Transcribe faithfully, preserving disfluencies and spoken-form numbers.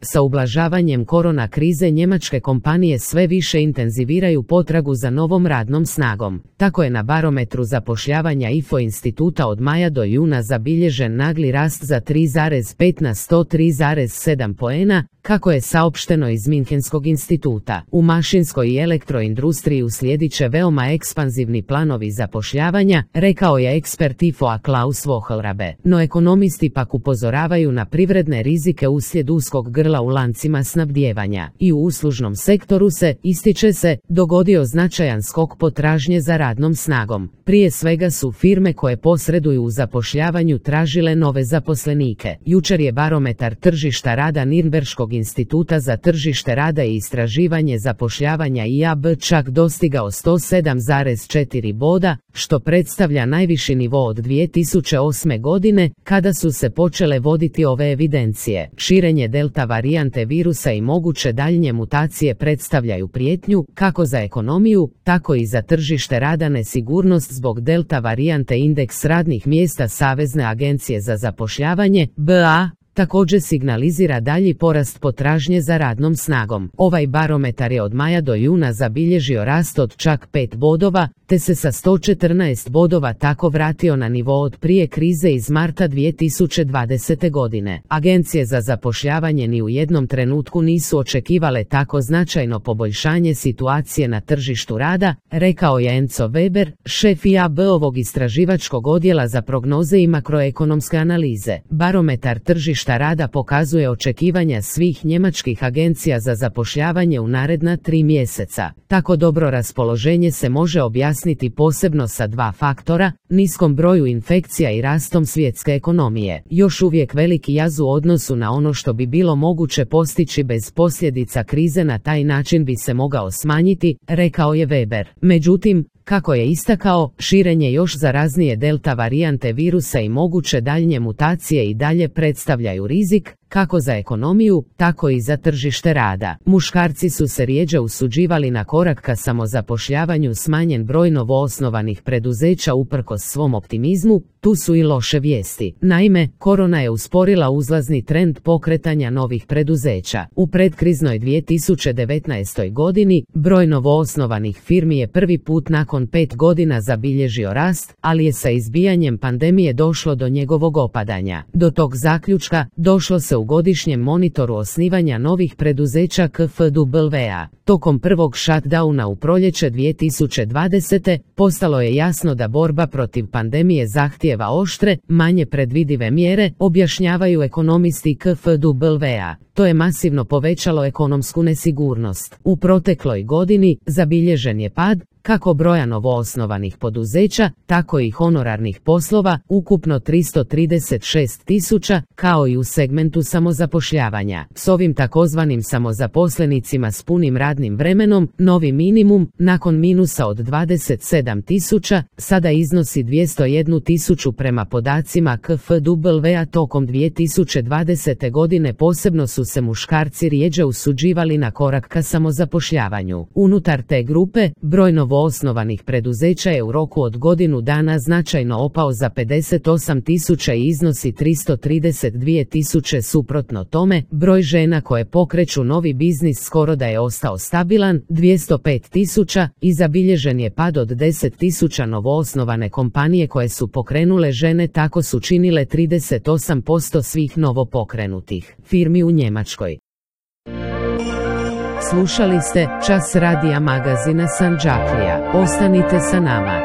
Sa ublažavanjem korona krize njemačke kompanije sve više intenziviraju potragu za novom radnom snagom. Tako je na barometru zapošljavanja I F O instituta od maja do juna zabilježen nagli rast za tri zarez pet na sto tri zarez sedam poena, kako je saopšteno iz Münchenskog instituta. U mašinskoj i elektroindustriji uslijedit će veoma ekspanzivni planovi zapošljavanja, rekao je ekspert I F O-a Klaus Wohlrabe. No ekonomisti pak upozoravaju na privredne rizike uslijed uskog grla u lancima snabdijevanja. I u uslužnom sektoru se, ističe se, dogodio značajan skok potražnje za radnom snagom. Prije svega su firme koje posreduju u zapošljavanju tražile nove zaposlenike. Jučer je barometar tržišta rada Nürnberškog instituta za tržište rada i istraživanje zapošljavanja I A B čak dostigao sto sedam zarez četiri boda, što predstavlja najviši nivo od dvije tisuće osme godine, kada su se počele voditi ove evidencije. Širenje delta varijante virusa i moguće daljnje mutacije predstavljaju prijetnju, kako za ekonomiju, tako i za tržište rada. Nesigurnost zbog delta varijante indeks radnih mjesta Savezne agencije za zapošljavanje, B A, također signalizira dalji porast potražnje za radnom snagom. Ovaj barometar je od maja do juna zabilježio rast od čak pet bodova, te se sa sto četrnaest bodova tako vratio na nivo od prije krize iz marta dvije tisuće dvadesete. godine. Agencije za zapošljavanje ni u jednom trenutku nisu očekivale tako značajno poboljšanje situacije na tržištu rada, rekao je Enzo Weber, šef I A B-ovog istraživačkog odjela za prognoze i makroekonomske analize. Barometar tržišta rada pokazuje očekivanja svih njemačkih agencija za zapošljavanje u naredna tri mjeseca. Tako dobro raspoloženje se može objasniti posebno sa dva faktora, niskom broju infekcija i rastom svjetske ekonomije. Još uvijek veliki jaz u odnosu na ono što bi bilo moguće postići bez posljedica krize na taj način bi se mogao smanjiti, rekao je Weber. Međutim, kako je istakao, širenje još zaraznije delta varijante virusa i moguće daljnje mutacije i dalje predstavljaju rizik, kako za ekonomiju, tako i za tržište rada. Muškarci su se rjeđe usuđivali na korak ka samozapošljavanju. Smanjen broj novoosnovanih preduzeća uprkos svom optimizmu, tu su i loše vijesti. Naime, korona je usporila uzlazni trend pokretanja novih preduzeća. U predkriznoj dvije tisuće devetnaestoj. godini, broj novoosnovanih firmi je prvi put nakon pet godina zabilježio rast, ali je sa izbijanjem pandemije došlo do njegovog opadanja. Do tog zaključka došlo se u godišnjem monitoru osnivanja novih preduzeća K F W A. Tokom prvog shutdowna u proljeće dvije tisuće dvadesete. postalo je jasno da borba protiv pandemije zahtijeva oštre, manje predvidive mjere, objašnjavaju ekonomisti K F W A. To je masivno povećalo ekonomsku nesigurnost. U protekloj godini zabilježen je pad, kako broja novoosnovanih poduzeća, tako i honorarnih poslova, ukupno tristo trideset šest tisuća, kao i u segmentu samozapošljavanja. S ovim takozvanim samozaposlenicima s punim radnim vremenom, novi minimum, nakon minusa od dvadeset sedam tisuća, sada iznosi dvjesto jednu tisuću prema podacima K F W A. Tokom dvije tisuće dvadesete. godine posebno su se muškarci rjeđe usuđivali na korak ka samozapošljavanju. Unutar te grupe, broj novoosnovanih preduzeća je u roku od godinu dana značajno opao za pedeset osam tisuća i iznosi tristo trideset dvije tisuće. Suprotno tome, broj žena koje pokreću novi biznis skoro da je ostao stabilan, dvjesto pet tisuća, i zabilježen je pad od deset tisuća. Novoosnovane kompanije koje su pokrenule žene tako su činile trideset osam posto svih novopokrenutih firmi u Njemačkoj. Slušali ste Čas radija magazina Sandžaklija. Ostanite sa nama.